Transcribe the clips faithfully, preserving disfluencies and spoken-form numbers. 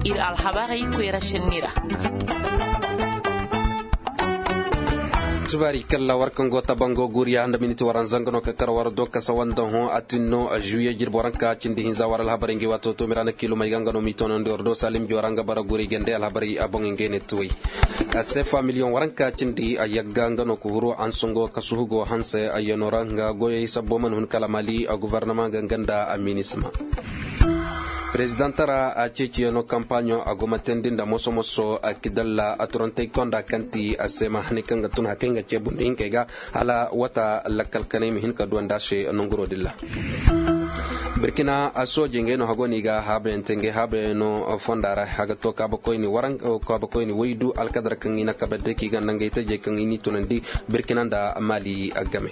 Ir alhabarey koyra senni ra. Tubaari kalla war kaŋ go tabango guriya nda miniti waranza nga no ka kar war do kasa wanda hõ a tin no a juye jirbi waranka cindi hinza war alhabarey ngi waato to mirana kiilumey ga nga no m'i toonandi war do salim jora nga bara guri gande alhabarey a boŋ ngey ne tuwey. A sefa miliyoŋ waranka cindi a yagga nga no ka huru ansongo kasuhu go hanse a yano ra nga goyey sabbo mana hun kala mali a guvarnama ga nga nda a minisma. Perezidantara a ceeciyano kampaɲo a go ma teendi nda moso-moso a kidalla a turantey konda kaŋ ti a seema haney kaŋ ga tun hakey nga ceebundi hinkey ga hala wata lakkal kanay ma hin ka duwandi a se nonguro dilla. Birkina a sooje ngey no hago no i ga haabayante ngey haabayano fonda ra a ga to kaabakoyni waydu alkadar kaŋ i na kabe day ka i ganda ngey tajey kaŋ i n'i tunandi birkina nda mali game.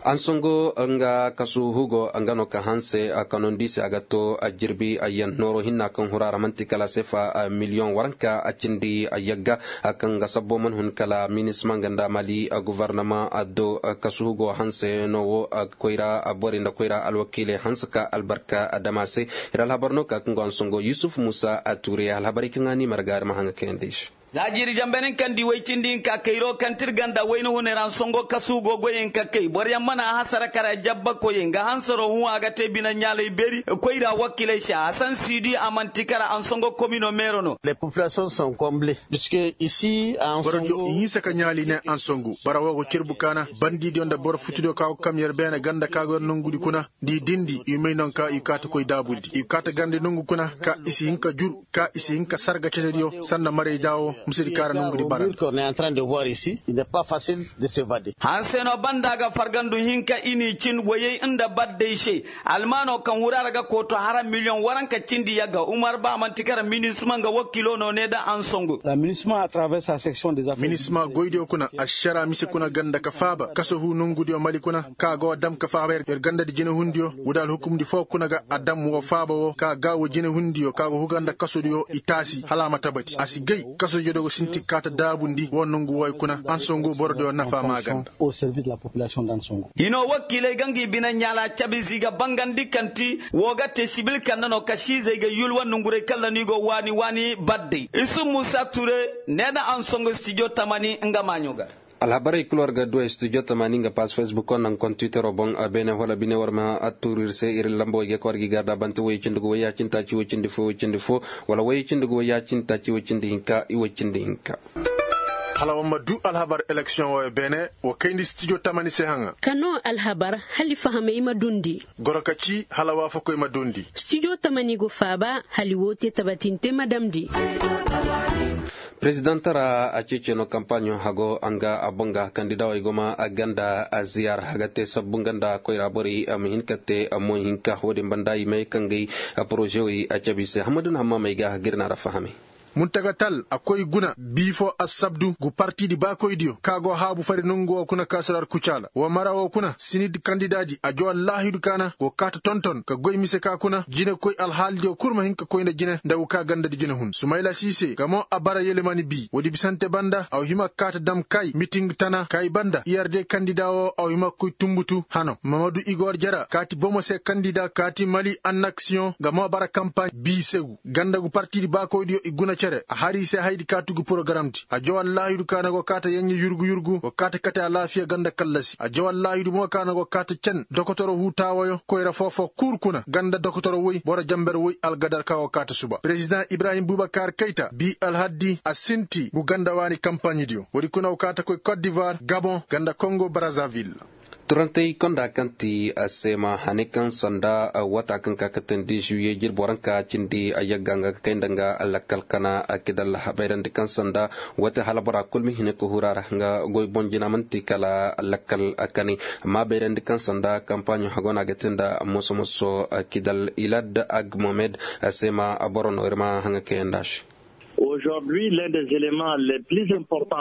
Ansongo nga kasu hugo nga no ka hanse a kanondi se a ga to a jirbi a yan nooro hinna kaŋ hura ra manti kala sefa miliyoŋ waranka a cindi a yagga a kaŋ ga sabbo man hun kala minisma nga nda mali a guvarnama a do kasu hugo hanse no wo a koyra a bori nda koyra alwakiiley hanse ka albarka a dama se. Iri alhabar no ka kaŋ go ansongo yusuf musa a tuure alhabarey kaŋ a ni marga iri ma haŋa kayandi se. Za jiiri jambe nin kaŋ di way cindi hinka kayro kaŋ ti iri ganda wayna hunay ra ansongo kasu go goyey hinka kay boroyaŋ mana a hasara kara jabba koyey nga hansaro hũ a ga te bine ɲaalay beeri koyra wakiiley se hasan siidi a manti kara ansongo komino meero no. Boro diyo i hinse ka ɲaali ne ansongo bara wo go cirbu kaana bandidiyo nda boro futudiyo ka go kamyer beene ganda ka go yer nongudi kuna. Nda i dindi i may non ka i kaata koy daabundi i kaata garndi nongu kuna ka i si hin ka jur ka i si hin ka sarga cetediyo sanda marayda wo misedi kaŋ a ra nongudi bara. Hanse no banda ga fargandu hinka i n'i cin wayey nda baddey se. Almaano kaŋ hura ra ga kooto hara miliyoŋ waranka cindi yagga umar ba manti kara minisma nga wakiilo no ne da ansongu. Minisma goydiyo kuna ašara mise kuna ganda ka faaba kasahu nongudiyo mali kuna ka a go a dam ka faaba yer gandadi jinehundiyo. Woodi alhukumdi foo kuna ga a dam woo faaba woo ka a gaawo jinehundiyo ka a go huga nda kasodiyo i taasi hala a ma tabati a si gay kasodiyo do go sinti kaata daabundi woo nongu wooyo kuna ansongu borodiyo nafa maaganda. Hinoo wakiiley ga ngi bine ɲaala cabe se i ga bangandi kaŋ ti woo ga te sibil kande no kasiizey ga yulwa nonguray kaŋ ra no i go waani waani baddey isu muusa ture. Ne na ansongu stijo tamani nga maaɲo ga. Alhabarey kul war ga duwey studio tamani nga pass facebook wo naŋ kontitero boŋ a beene wala bine war ma a tuuri ir se ir lambo way ga ka war ga i garda bante way cindi ga way ya cindi taaci way cindi fo way cindi fo wala way cindi ga way ya cindi taaci way cindi hinka i way cindi hinka. Hala war ma du alhabar eleksiyoŋ wo beene wa kayndi studio tamani se haŋa. Ka no alhabar hala i fahamey ma dundi. Goro ka ci hala waafakoy ma dundi. Studio tamani go faaba hala i woo te tabatinte ma damndi. Perezidantara a ceeceno kampaaɲo hago a nga a boŋ ga kandida way go ma a ganda a ziyaara a ga te sabbu nga nda koyra borey a ma hin ka te a moy hinka wo-din banda i may kaŋ gay a poroze way a cabe i se hamadun hamma may ga a ga ir na ra fahame. Muntagatal a koy guna bii fo assabdu gu partidi baakoydiyo ka go haabu fari nongu wo kuna ka si ra ar kucaala wa mara wo kuna sinid kandidaadi a jaw allaahidu ka na go kaata tonton ka goy mise ka kuna jinekoy alhaalidiyo kul ma hin ka koy nda jine nda go ka gandadi jinehun sumayla siise nga mo a bara yelemani bii woodi bisante banda a wa hima ka kaata dam kay miting tana kay banda i arde kandida wo a wa hima ka koy tumbutu hano mamadu igor jara kaati bomo se kandida kaati mali annaksiyoŋ nga mo a bara kampaaɲ bii segu ganda gu partidi baakoydiyo i guna cere a har i se haydi kaatu gu porogaramdi a jaw allaahidu ka na go kaata yeɲɲe yurgu yurgu go kaata kate alaafiya ganda kallasi a jaw allaahidu mo ka na go kaata cen dokotoro huutaawoyo koyra foo-foo kul kuna ganda dokotoro woy boro jamber woy algadar ka go kaata suba perezidaŋ ibrahim bubakar kayta bii alhaddi a sinti gu ganda waani kampaaɲidiyo woodi kuna go kaata koy kot divoir gabon ganda kongo brazavil. Turantey konda kaŋ ti a seema hane kaŋ sanda wata kaŋ ka katandi juye jirbi waranka cindi a yagga nga ka kay nda nga lakkal kana a kidalla bayrandi kaŋ sanda wate hala bora kul ma hine ka hura ra nga goy boŋ jina manti kala lakkal kani amma bayrandi kaŋ sanda kampaaɲo hago no a ga te nda moso-moso kidal ilad agmomed a seema boro no ir ma haŋa kayanda se.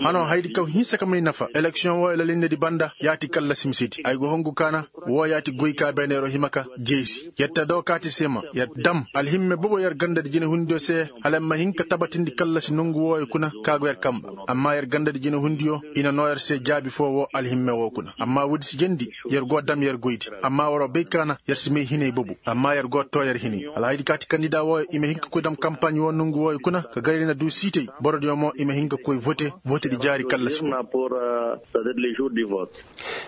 Hano haydi kaŋ hinsa ka may nafa eleksiyoŋ wooyo lalinnedi banda yaati kallasi misedi ay go hongu kaana. Woo yaati goy ka beene yer'o hima ka jeesi yer te doo kaati seema yer dam alhimme bobo yer gandadi jinehundiyo se. Hala yer ma hin ka tabatindi kallasi nongu wooyo kuna ka go yer kamba. Amma yer gandadi jinehundiyo i na noo yer se jaabi foo woo alhimme woo kuna amma woodi si jendi. Yer go dam yer goydi amma war'o bay kaana yer si may hinay bobo amma yer go too yer hinay alhaydi kaati kandida wooyo i ma hin ka koy dam kampaaɲ woo nongu wooyo kuna ka gayri na duu siitay borodiyo mo i ma hin ka koy vote. Votedi jaari kallasi.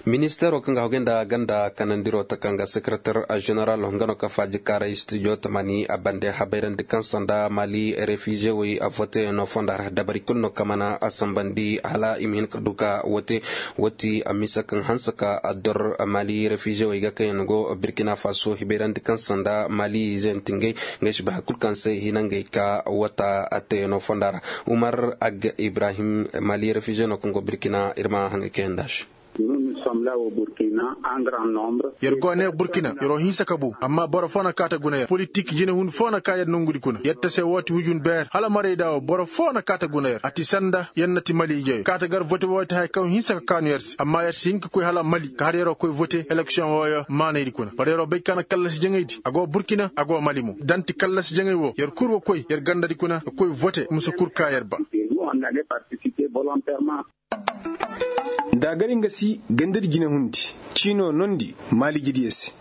Ministeeroo kaŋ ga hagu nda ganda kanandiro ta kaŋ ga sekereter ženeral nga no ka faaji kaaray studio tamani a bande habayrandi kaŋ sanda mali refize wey a vote no fonda ra dabari kulu no ka mana a sambandi hala i ma hin ka du ka wote. Woti a misa kaŋ hanse ka a dor mali refize wey ga kaŋ yaŋ go birkina faso hibayrandi kaŋ sanda mali zentingey. Ngey si bay hari kulu kaŋ se hina ngey ka wata a teyaŋo fonda ra. Umar ag ibrahim mali refize no kaŋ go birkina ir ma haŋay kaŋ yaŋ nda se. Yer go a ne burkina yer'o hinsa ka bu amma boro foo na kaa ta guna yer politik jinehun foo na kaa yer nongudi kuna yer ta se woo ti hujun beer hala marayda woo boro foo na kaa ta guna yer a ti sanda yer na ti mali ijeyo kaa ta gar vote woo ti haya kaŋ hinsa ka kaanu yer se amma yer si hin ka koy hala mali ka har yer'o koy vote eleksiyoŋ wooyo maanaydi kuna war yer'o bay ka na kallasi jaŋaydi a go burkina a go mali mo da ni ti kallasi jaŋay woo yer kul wa koy yer gandadi kuna ka koy vote musa kul kaa yer ba. Nda a gar nga si gandadi jinehundi ciinoo nondi maalijidiyo se.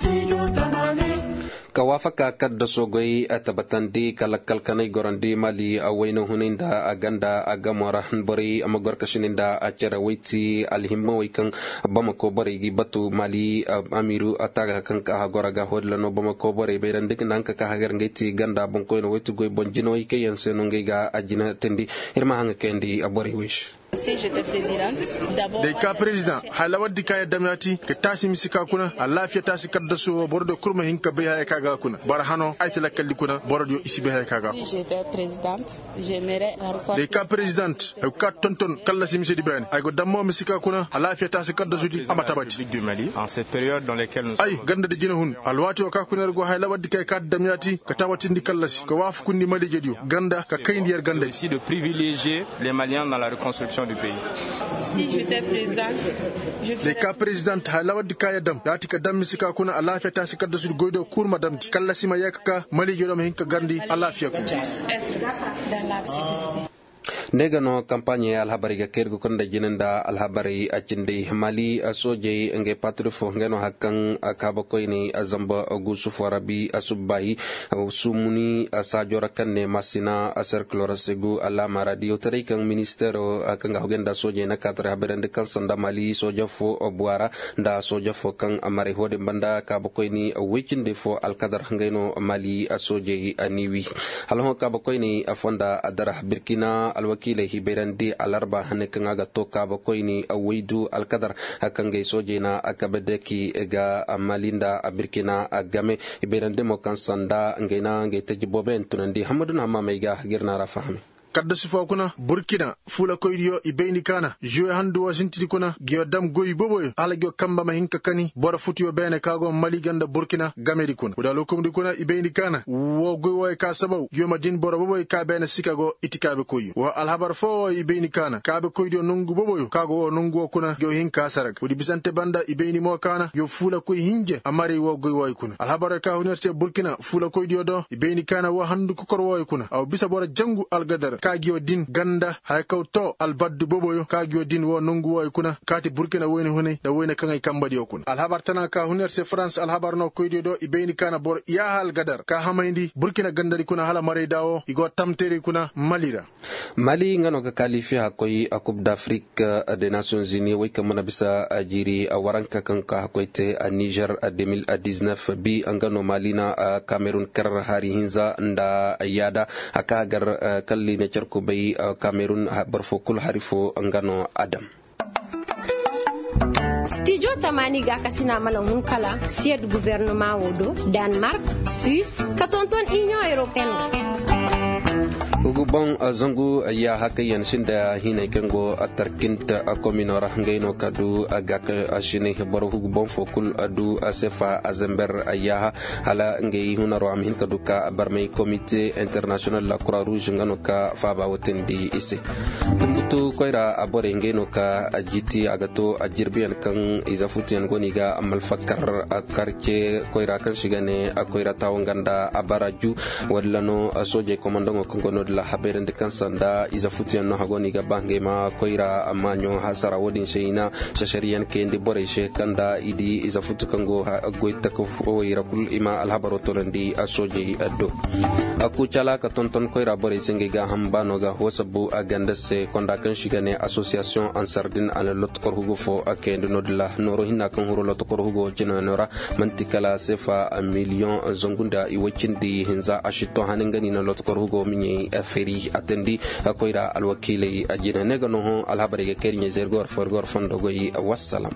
Ka waafaka kadda soogoy tabatandi ka lakkal kanay gorandi maali wayna hunay nda a ganda a gamo ra borey ma gor ka sini nda a cere wayti alhimma way kaŋ bamako borey gi batu maali amiru a taaga kaŋ ka hagora ga hodila no bamako borey bayrandi nda nga ka hagar ngey ti ganda boŋkoyna wayti goy boŋ jinaway kaŋ yaŋ se no ngey ga a jina tindi. Ir ma haŋa kayandi a borey way se. Day ka perezidaŋ haya lawardi ka yadda ma yaati ka taasi misi ka kuna alaafiya taasi kaddasu wo boro diyo kul ma hin ka bay haya ka ga kuna boro hano ay ti lakkaldi kuna boro diyo i si bay haya ka ga kuna. Day ka perezidaŋ ay go ka tonton kallasi misedi beene ay go dammo misi ka kuna alaafiya taasi kaddasudi a ma tabati. Ay gandadi jinahun alwaati wo ka kuna yer go haya lawardi ka ay ka damyaati ka tabatindi kallasi ka waafakundi maliijediyo ganda ka kayndi yer gandadi. Day ka perezidaŋ haya lawardi ka yer dam yaati ka dam misi ka kuna alaafiya taasi kaddasudi goydiyo kul ma damndi kallasi ma yee ka ka maliijediyo ma hin ka garndi alaafiya kuna. Ne ga no kampaaɲey alhabarey ga kayri ga kunda jina nda alhabarey a cindi maali soojey ngey paatiri fo ngey no hari kaŋ kaabakoyney zamba guusu fo rabi subbaayi sumuni saajo ra kaŋ ne masina serkilo ra segu alaama ra diyawtaray kaŋ ministeero kaŋ ga hogey nda soojey na kaataray habayrandi kaŋ sanda maali sooja fo buwa ra nda sooja fo kaŋ maray fo din banda kaabakoyni woy cindi fo alkadar ngey no maali soojey ni wi. Hala hõ kaabakoyni fonda dara birkina alwakiiley hibayrandi alarba hane kaŋ a ga to kaabakoyni woy du alkadar kaŋ ngey soojey na kabe deki ga maali nda birkina game. Hibayrandi mo kaŋ sanda ngey na ngey taji booboyaŋ tunandi hammadu na hammaamey ga ga ir na ra fahami. Kaddasu foo kuna burkina fuulakoydiyo i bayndi kaana žuwe handu woo sintidi kuna nguyo dam goy booboyo hala nguyo kamba ma hin ka kani boro futuyo beene ka go mali ganda burkina gamedi kuna woo da alhukumdi kuna i bayndi kaana woo goy wooyo ka sabaw nguyo ma din boro booboyo ka beene sika go itikaabekoyyo woo alhabar foo wooyo i bayndi kaana kaabekoydiyo nongu booboyo ka go woo nongu woo kuna nguyo hin ka sara ga woodi bisante banda i bayndi mo kaana nguyo fuulakoy hinje a maray woo goy wooyo kuna alhabaryo ka hun yer se burkina fuulakoydiyo do i bayndi kaana woo handu kokor wooyo kuna a wa bisa boro jangu algadar ka nguyo din ganda haya kaw too albaddu booboyo ka nguyo din woo nongu wooyo kuna kaati burkina wayna hunay nda wayna kaŋay kambadiyo kuna alhabar tana ka hun yer se farans alhabar no koydiyo do i bayndi kaana boro iyaaha algadar ka hamayndi burkina gandadi kuna hala marayda woo i go tamteeray kuna mali ra. Mali nga no ga kaalifi hakkoy a kub d'afrik de nations unis wey kaŋ mana bisa jiiri waranka kaŋ ka hakkoy te a nizer de mil diznef bi nga no mali na kamerun kar hari hinza nda yaada a ka gar kalli ne carkubay kamerun barfo kul hari fo nga no adam. Stijo tamaani ga kasina mana hun kala siyad guvernoma wo do danmark, suisse ka tonton union européenne. Hugu boŋ zangu yaaha kaŋ yaŋ sinda hinay kaŋ go tarkint komino ra ngey no ka du gaakasinay boro hugu boŋ fo kul du sefa zember yaaha hala ngey hunaro a ma hin ka du ka barmay komite internasiyonal la kura ruuz nga no ka faaba wotindi i se. Tumbutu koyra borey ngey no ka jiti a ga to a jirbiyaŋ kaŋ ize futuyaŋ go no i ga malfakar karce koyra kaŋ si ga ne koyra taawo nga nda a bara ju. Walla no soojey komandaŋo kaŋ go no da lahabayrandi kaŋ sanda ize futuyaŋ no hago no i ga ba ngey ma koyra maaɲo hasara wo-din se i na sasariyaŋ kayandi borey se kaŋ da i di ize futu kaŋ go goy taka fowey ra kul i ma alhabaro toonandi soojey do. Kuucala ka tonton koyra borey se ngey ga hamba no ga hoo sabbu a ganda se konda kaŋ si ga ne asosiyasiyoŋ ansardin a na lotokor hugo fo a kayandi no da la nooro hinna kaŋ huru lotokor hugo jinano ra. Manti kala sefa miliyoŋ zangu nda i way cindi hinza a si to hani nga ni na lotokor hugo miɲey feri a tandi koyra alwakiiley a jina ne ga no hõ alhabarey ga kayri ɲey zergor forgor fondo goy. Wassalam.